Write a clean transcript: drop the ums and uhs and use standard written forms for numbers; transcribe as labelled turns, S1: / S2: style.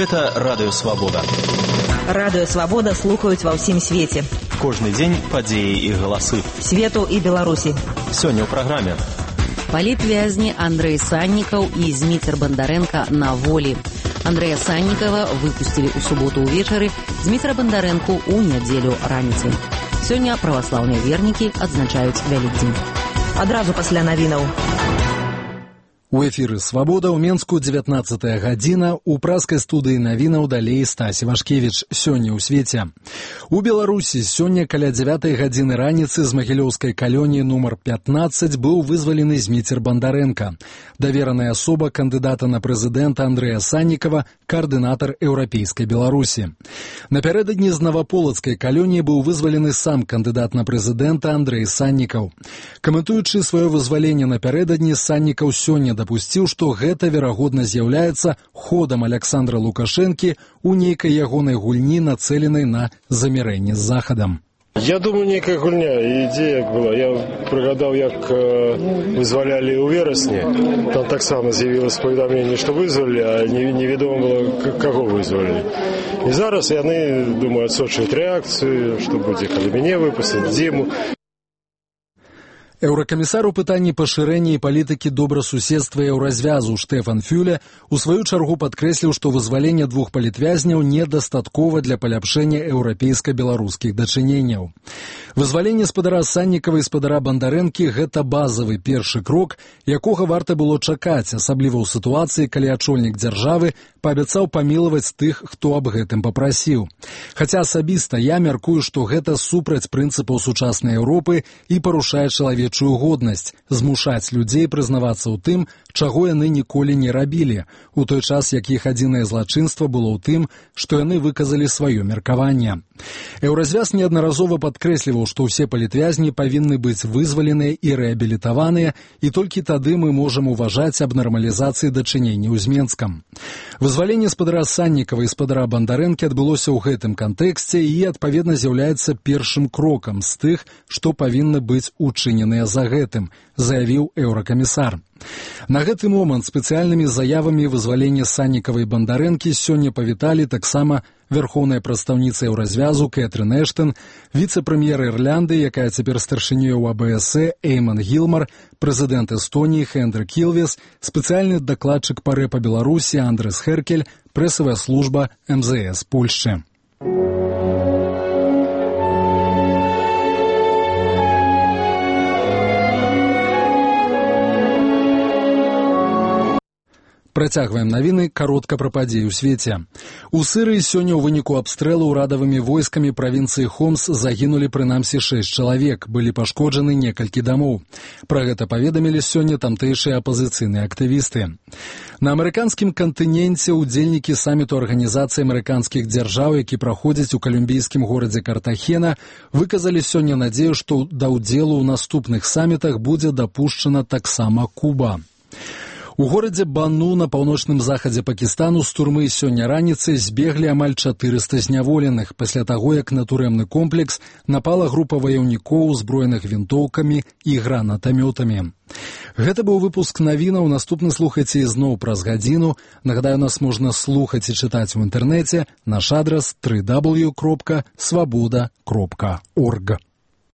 S1: Гэта Радыё Свабода.
S2: Радыё Свабода слухаюць ва ўсім свеце.
S1: Кожны дзень падзеі і галасы.
S2: Свету і Беларусі.
S1: Сёння ў праграме.
S3: Палітвязні Андрэй Саннікаў і Зміцер Бандарэнка на волі. Андрэя Саннікава выпусцілі ў суботу ўвечары, Зміцера Бандарэнку ў нядзелю раніцай. Сёння праваслаўныя вернікі адзначаюць Вялікдзень.
S2: Адразу пасля навінаў.
S4: У эфіры «Свабода» ў Менску 19-я гадзіна, у праскай студыі навінаў далей Стасі Вашкевіч. Сёння ў свеце. У Беларусі сёння каля 9-й гадзіны раніцы з магілёўскай калоніі нумар 15 быў вызвалены Зміцер Бандарэнка. Давераная асоба кандыдата на прэзідэнта Андрэя Саннікава, каардынатар еўрапейскай Беларусі. Напярэдадні з наваполацкай калоніі быў вызвалены сам кандыдат на прэзідэнта Андрэй Саннікаў. Каментуючы сваё вызваленне напярэдадні, Саннікаў сёння дапусціў, што гэта, верагодна, з'яўляецца ходам Аляксандра Лукашэнкі ў нейкай ягонай гульні, нацэленай на замірэнне з Захадам.
S5: Я думаю, нейкая гульня, ідзея была. Я прыгадаў, як вызвалялі ў верасні. Там таксама з'явілася паведамленне, што вызвалі, а невядома было, каго вызвалі. І зараз яны, думаю, адсочваюць рэакцыю, што будзе, калі мяне выпусцяць, дзіму.
S4: Еўракамісар у пытанні пашырэння і палітыкі добрасуседства еўразвязу Штэфан Фюле у сваю чаргу падкрэсліў, што вызваленне двух палітвязняў недастаткова для паляпшэння еўрапейска-беларускіх дачыненняў. Вызваленне спадара Саннікава і спадара Бандарэнкі – гэта базавы першы крок, якога варта было чакаць, асабліва ў сітуацыі, калі ачольнік дзяржавы паабяцаў памілаваць тых, хто аб гэтым папрасіў. Хаця асабіста я мяркую, што гэта супраць прынцыпаў сучаснай Еўропы і парушае чалавечую годнасць, змушаць людзей прызнавацца ў тым, чаго яны ніколі не рабілі, у той час, як іх адзінае злачынства было ў тым, што яны выказалі сваё меркаванне. Еўразвяз неаднаразова падкрэсліваў, што ўсе палітвязні павінны быць вызваленыя і рэабілітаваныя, і толькі тады мы можам уважаць аб нармалізацыі дачыненняў з Менскам. Вызваленне спадара Саннікава і спадара Бандарэнкі адбылося ў гэтым кантэксце і, адпаведна, з'яўляецца першым крокам з тых, што павінны быць учыненыя за гэтым, заявіў еўракамісар. На гэты момант спецыяльнымі заявамі вызвалення Саннікава і Бандарэнкі сёння павіталі таксама вярхоўная прадстаўніца еўразвязу Кэтрын Эштон, віцэ-прэм'ер Ірлянды, якая цяпер старшынёй у АБС Эйман Гілмар, прэзідэнт Эстоніі Хендрик Кілвес, спецыяльны дакладчык па рэпа Беларусі Андрес Херкель, прэсавая служба МЗС Польшчы. Працягваем навіны, каротка пра падзеі ў свеце. У Сырыі сёння ў выніку абстрэлу ўрадавымі войскамі правінцыі Хомс загінулі прынамсі 6 чалавек, былі пашкоджаны некалькі дамоў. Пра гэта паведамілі сёння тамтэйшыя апазіцыйныя актывісты. На амерыканскім кантыненце ўдзельнікі саміту Арганізацыі амерыканскіх дзяржаў, які праходзіць у калумбійскім горадзе Картахена, выказалі сёння надзею, што да ўдзелу ў наступных самітах будзе дапушчана таксама Куба. У горадзе Бану на паўночным захадзе Пакістану з турмы сёння раніцай збеглі амаль 400 зняволеных пасля таго, як на турэмны комплекс напала група ваяўнікоў, узброеных вінтоўкамі і гранатамётамі. Гэта быў выпуск навінаў, наступны слухайце ізноў праз гадзіну. Нагадаю, нас можна слухаць і чытаць у інтэрнэце, наш адрас www.swaboda.org.